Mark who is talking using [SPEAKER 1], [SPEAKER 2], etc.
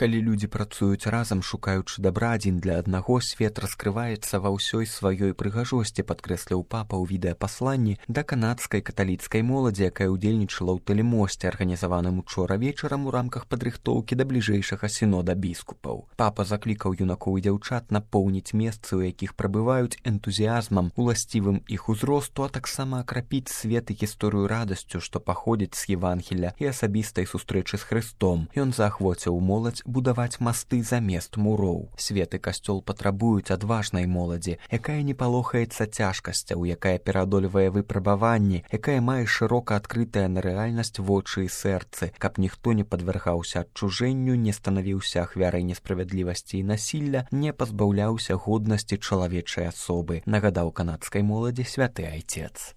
[SPEAKER 1] Калі людзі працуюць разам, шукаючы дабра адзін для аднаго, свет раскрываецца ва ўсёй сваёй прыгажосці, падкрэсліў папа ў відэапасланні да канадскай каталіцкай моладзі, якая ўдзельнічала ў тэлемосце, арганізаваным учора вечарам у рамках падрыхтоўкі да бліжэйшага сінода біскупаў. Папа заклікаў юнакоў і дзяўчат напоўніць месцы, у якіх прабываюць, энтузіязмам, уласцівым іх узросту, а таксама акрапіць свет і гісторыю радасцю, што паходзіць з Евангелля і асабістай сустрэчы з Хрыстом. Ён заахвоціў моладзь будаваць масты замест муроў. Свет і касцёл патрабуюць адважнай моладзі, якая не палохаецца цяжкасцяў, якая пераадольвае выпрабаванні, якая мае шырока адкрытая на рэальнасць вочы і сэрцы, каб ніхто не падвяргаўся адчужэнню, не станавіўся ахвярай несправядлівасці і насілля, не пазбаўляўся годнасці чалавечай асобы, нагадаў канадскай моладзі святы айцец.